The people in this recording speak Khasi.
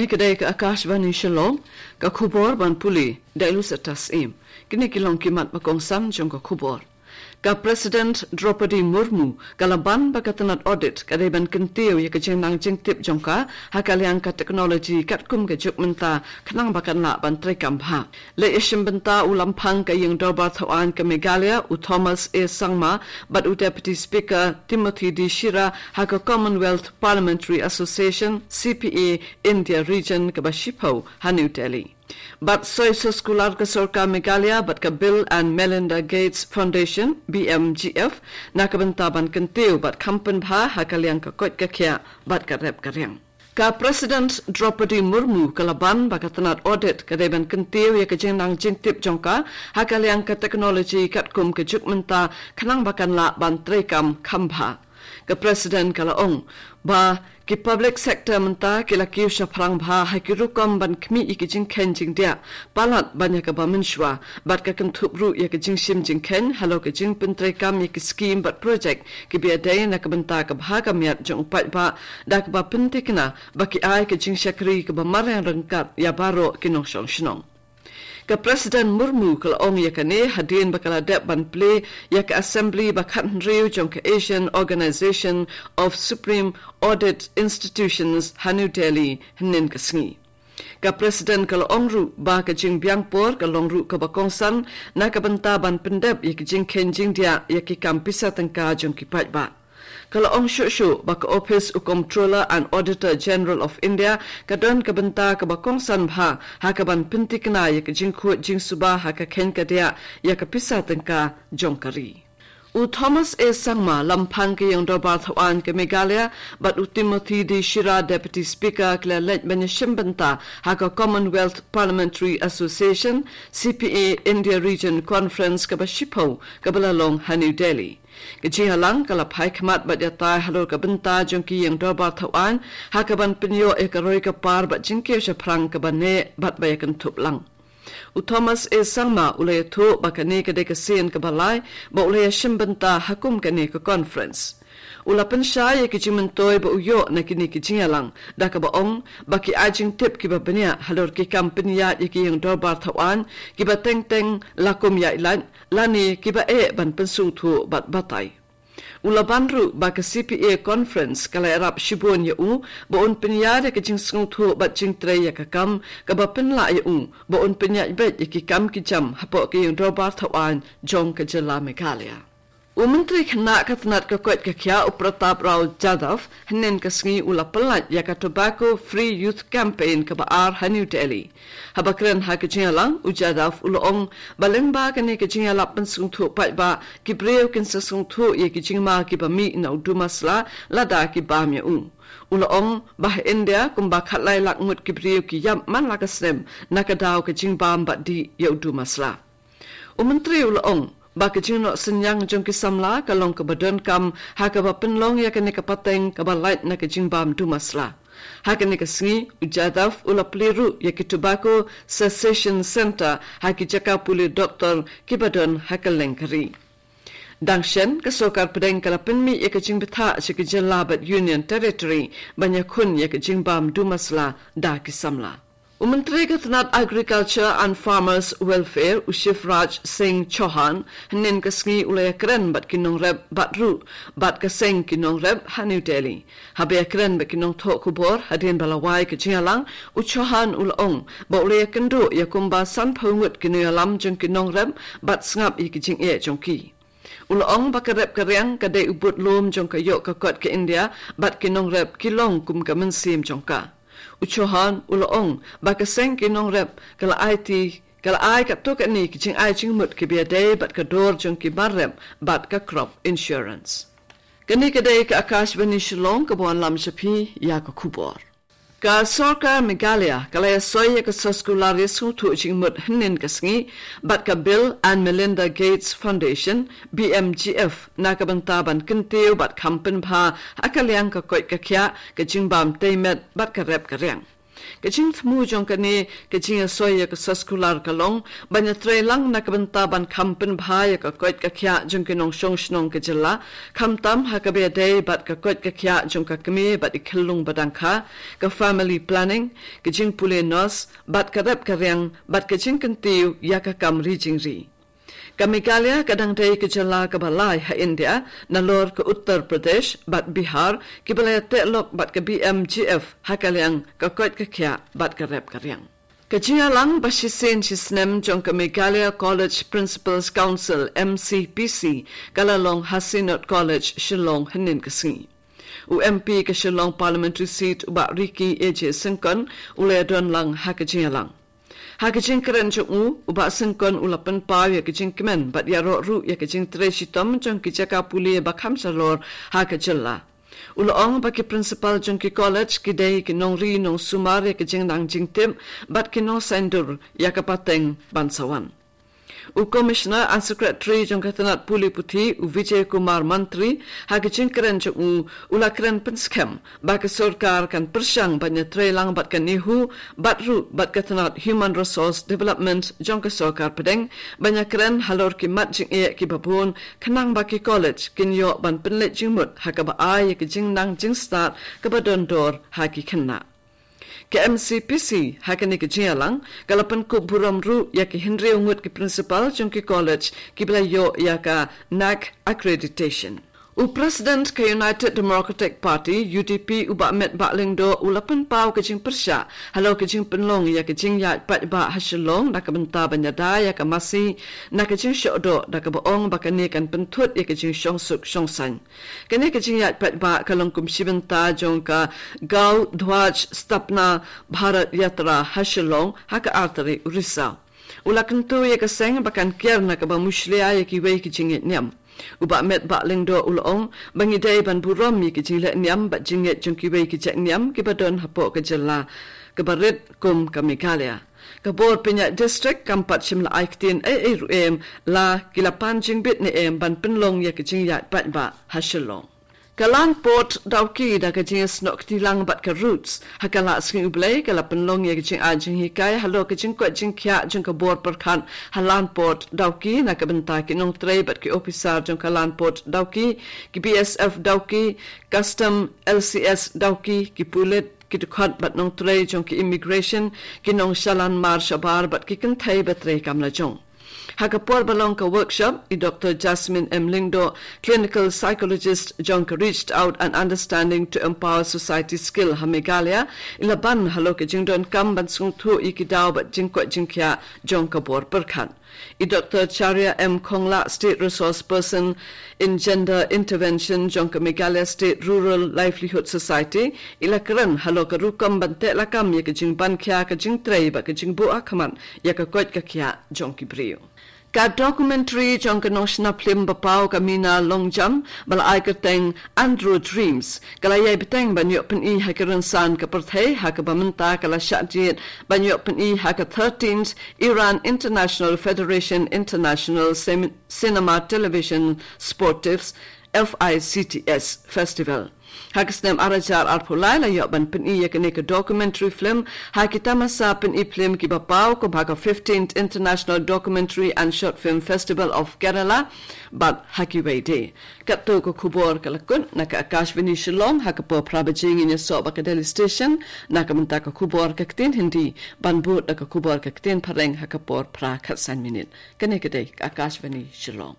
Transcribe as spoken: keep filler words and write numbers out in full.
Ka dei ka Akashvani Shillong, ka khubor ban pule da i Lucy Tasim. Kine ki long ki mat ba kongsan jong ka khubor. Ka President Droupadi Murmu ka la ban ba ka tnat audit ka dei ban kyntiew ïa ka jingnang jingtip jong ka ha ka liang ka technology katkum ka juk mynta, khnang ba kan lah ban treikam bha. Leit ïashim bynta u Lamphang ka Ïing Dorbar Thawaiñ ka Meghalaya, u Thomas A Sangma, bad u Deputy Speaker Timothy D Shira ha ka Commonwealth Parliamentary Association, C P A, India Region kaba shiphew ha New Delhi. Bad soi soskular ka Sorkar Meghalaya bad ka Bill and Melinda Gates Foundation, B M G F, na ka bynta ban kyntiew bad kham pynbha ha ka liang ka koit ka khiah bad ka rep ka riang. Ka President Droupadi Murmu ka la ban ba ka tnat audit ka dei ban kyntiew ïa ka jingnang jingtip jong ka ha ka liang ka technology katkum ka juk mynta, khnang ba kan lah ban treikam kham bha. Ka President ka la ong ba ki public sector mynta ki la kiew shaphrang bha ha ki rukom ban khmih ïa ki jingkheiñ jingdiah palat ban ïa kaba mynshuwa, bad ka kynthup ruh ïa ka jingshim jingkheiñ halor ka jingpyntreikam ïa ki skim bad project kiba ïadei na ka bynta ka bha ka miat jong u paidbah, da kaba pynthikna ba ki ai ka jingshakri kaba mareh ryngkat ïa baroh ki nongshong shnong. Ka President Murmu ka la ong ïa kane hadien ba ka la dep ban plie ïa ka Assembly ba khathynriew jong ka Asian Organization of Supreme Audit Institutions ha New Delhi hynnin ka sngi. Ka President ka la ong ruh ba ka jingbiang por ka long ruh kaba kongsan na ka bynta ban pyndep ïa ki jingkheiñ jingdiah ïa ki kam pisa tyngka jong ki paidbah. Ka la ong shuh shuh ba ka Office u Comptroller and Auditor General of India ka don ka bynta kaba kongsan bha ha kaban pynthikna ïa ka jingkhuid jingsuba ha ka kheiñ ka diah ïa ka pisa tyngka jong ka ri. U Thomas A Sangma, Lamphang ka Ïing Dorbar Thawaiñ ka Meghalaya, bad u Timothy D Shira, Deputy Speaker, ki la leit ban ïashim bynta ha ka Commonwealth Parliamentary Association, C P A, India Region Conference kaba shiphew kaba la long ha New Delhi. Ka jingïalang ka la phai khmat bad ïatai halor ka bynta jong ki ïing dorbar thawaiñ ha kaban pynïoh ïa ka roi ka par bad jingkiew shaphrang kaba neh bad ba ïakynthup lang. U Thomas A Sangma u la ïathuh ba kane ka dei ka sien kaba lai ba u la ïashim bynta ha kum kane ka conference. U la pynshai ïa ki jingmyntoi ba u ïoh na kine ki jingïalang da kaba ong ba ki ai jingtip kiba bniah halor ki kam pynïaid ïa ki ïing dorbar thawaiñ kiba teng teng la kum ïaid lait lane kiba eh ban pynsngewthuh bad batai. U la ban ruh ba ka C P A conference ka la ïarap shibun ïa u ba un pynïaid ïa ka jingsngewthuh bad jingtrei ïa ka kam kaba pynlah ïa u ba un pynïaid beit ïa ki kam ki jam hapoh ka ïing dorbar thawaiñ jong ka jylla Meghalaya. U Myntri Khynnah ka tnat ka koit ka khiah u Pratap Rao Jadhav hynnin ka sngi u la pyllait ïa ka Tobacco Free Youth Campaign kaba ar ha New Delhi. Haba kren ha ka jingïalang, u Jadhav u la ong ba lyngba kane ka jingïalap pynsngewthuh paidbah, ki briew kin sa sngewthuh ïa ki jingma kiba mih na u dumasla lada ki bam ïa u. U la ong ba ha India kumba khatlai lak ngut ki briew ki ïap man la ka snem na ka daw ka jingbam bad dih ïa u dumasla. U Myntri u la ong ba ka jingnoh synñiang jong ki samla ka long kaba donkam ha kaba pynlong ïa kane ka pateng kaba lait na ka jingbam dumasla. Ha kane ka sngi, u Jadhav u la plie ruh ïa ki Tobacco Cessation Centre ha ki jaka pule doktor kiba don ha kylleng ka ri. Dang shen, ka sorkar pdeng ka la pynmih ïa ka jingbthah sha ki jylla bad Union Territory ban ïakhun ïa ka jingbam dumasla da ki samla. U Myntri ka tnat Agriculture and Farmers Welfare, u Shivraj Singh Chauhan, hynnin ka sngi u la ïakren bad ki nongrep bad ruh bad ka seng ki nongrep ha New Delhi. Haba ïakren bad ki nongthoh khubor hadien ba la wai ka jingïalang, u Chauhan u la ong ba u la ïakynduh ïa kumba sanphew ngut ki nongïalam jong ki nongrep bad sngap ïa ki jingeh jong ki. U la ong ba ka rep ka riang ka dei u budlum jong ka ïoh ka kot ka India bad ki nongrep ki long kum ka mynsiem jong ka. U Chauhan u la ong ba ka seng ki nongrep ka la aiti ka la ai katto katne ki jingai jingmut kiba ïadei bad ka dor jong ki mar rep bad ka crop insurance. Kane ka dei ka Akashvani Shillong kaba wanlam sha phi ïa ka khubor. Ka sorkar Meghalaya ka la ïasoi ïa ka soskular ïasngewthuh jingmut hynnin ka sngi bad ka Bill and Melinda Gates Foundation, B M G F, na ka bynta ban kyntiew bad kham pynbha ha ka liang ka koit ka khiah, ka jingbam tei met bad ka rep ka riang. Ka jingthmu jong kane ka jingïasoi ïa ka soskular ka long ban ïatreilang na ka bynta ban kham pynbha ïa ka koit ka khiah jong ki nongshong shnong ka jylla, khamtam ha kaba ïadei bad ka koit ka khiah jong ka kmie bad i khyllung ba dang kha, ka family planning, ka jingpule nurse bad ka rep ka riang bad ka jingkyntiew ïa ka kam ri jingri. Ka Meghalaya ka dang dei ka jylla kaba lai ha India, nalor ka Uttar Pradesh bad Bihar kiba la ïateh lok bad ka B M G F ha ka liang ka koit ka khiah bad ka rep ka riang. Ka jingïalang ba shisien shisnem jong ka Meghalaya College Principals Council, M C P C, ka la long ha Synod College, Shillong, hynnin ka sngi. U M P ka Shillong Parliamentary Seat, u Bah Ricky A J Syngkon, u la ïadon lang ha ka jingïalang. Ha ka jingkren jong u, u Bah Syngkon u la pynpaw ïa ka jingkmen bad ïaroh ruh ïa ka jingtrei shitom jong ki jaka pule ba kham shalor ha ka jylla. U la ong ba ki principal jong ki college ki dei ki nongri nongsumar ïa ka jingnang jingtip bad ki nongsaiñdur ïa ka pateng ban sa wan. U Commissioner and Secretary jong ka tnat pule puthi, u Vijay Kumar Mantri, ha ka jingkren jong u, u la kren pynskhem ba ka sorkar kan pyrshang ban ïatreilang bad ka NEHU bad ruh bad ka tnat Human Resource Development jong ka sorkar pdeng ban ïakren halor ki mat jingeh kiba bun, khnang ba ki college kin ïoh ban pynleit jingmut ha kaba ai ïa ka jingnang jingstad kaba don dor ha ki khynnah. Ka M C P C ha kane ka jingïalang ka la pynkup burom ruh ïa ki hynriew ngut ki principal jong ki college kiba la ïoh ïa ka NAAC accreditation. U President ka United Democratic Party, U D P, u Bah Metbah Lyngdoh, u la pynpaw ka jingpyrshah halor ka jingpynlong ïa ka jingïaid paidbah ha Shillong na ka bynta ban ïada ïa ka masi na ka jingshohdoh, da kaba ong ba kane kan pynthut ïa ka jingshongsuk shongsaiñ. Kane ka jingïaid paidbah ka long kum shi bynta jong ka Gau Dhwaj Sthapna Bharat Yatra ha Shillong ha ka ar tarik u Risaw. U la kyntu ïa ka seng ba kan kiar na kaba mushlia ïa kiwei ki jingngeit niam. U Bah Metbah Lyngdoh u la ong ba ngi dei ban burom ïa ki jingleh niam bad jingngeit jong kiwei ki jait niam kiba don hapoh ka jylla kaba rit kum ka Meghalaya. Ka bor pynïaid district kam pat shym la ai ktien ei ei ruh em la ki la pan jingbit ne em ban pynlong ïa ka jingïaid paidbah ha Shillong. Ka Land Port Dawki da ka jingïasnoh kti lang bad ka Roots ha ka Lah Sngi U Blei ka la pynlong ïa ka jingai jinghikai halor ka jingkoit jingkhiah jong ka bor pyrkhat ha Land Port Dawki na ka bynta ki nongtrei bad ki ophisar jong ka Land Port Dawki, ki B S F Dawki, Custom, L C S Dawki, ki pulit, ki dkhot bad nongtrei jong ki immigration, ki nongshalan mar shabar bad ki kynthei ba trei kam lajong. Ha ka por ba long ka workshop, i Doctor Jasmine M Lyngdoh, clinical psychologist jong ka Reached Out and Understanding to Empower Society Skill ha Meghalaya, i la ban halor ka jingdonkam ban sngewthuh ïa ki daw bad jingkoit jingkhiah jong ka bor pyrkhat. I Doctor Charia M Khonglah, State Resource Person in Gender Intervention jong ka Meghalaya State Rural Livelihood Society, i la kren halor ka rukom ban teh lakam ïa ka jingban khia ka jingtrei bad ka jingbuh ha khmat ïa ka koit ka khiah jong ki briew. Ka documentary jong ka nongshna phlim ba paw ka Mina Longjam ba la ai kyrteng Andro Dreams ka la ïai bteng ban ïoh pyni ha ki rynsan ka pyrthei, ha kaba mynta ka la shah jied ban ïoh pyni ha ka thirteenth Iran International Federation International Sem- Cinema Television Sportifs, F I C T S, Festival. Ha ka snem ar hajar arphew lai la ïoh ban pyni ïa kane ka documentary film ha ki tamasa pyni phlim kiba paw, kum ha ka fifteenth International Documentary and Short Film Festival of Kerala bad ha kiwei de. Katto ka khubor ka la kut na ka Akashvani Shillong. Ha ka por phra baje ngin ïasoh bad ka Delhi Station na ka bynta ka khubor ka ktien Hindi, ban bud da ka khubor ka ktien Phareng ha ka por phra khatsan minit. Kane ka dei ka Akashvani Shillong.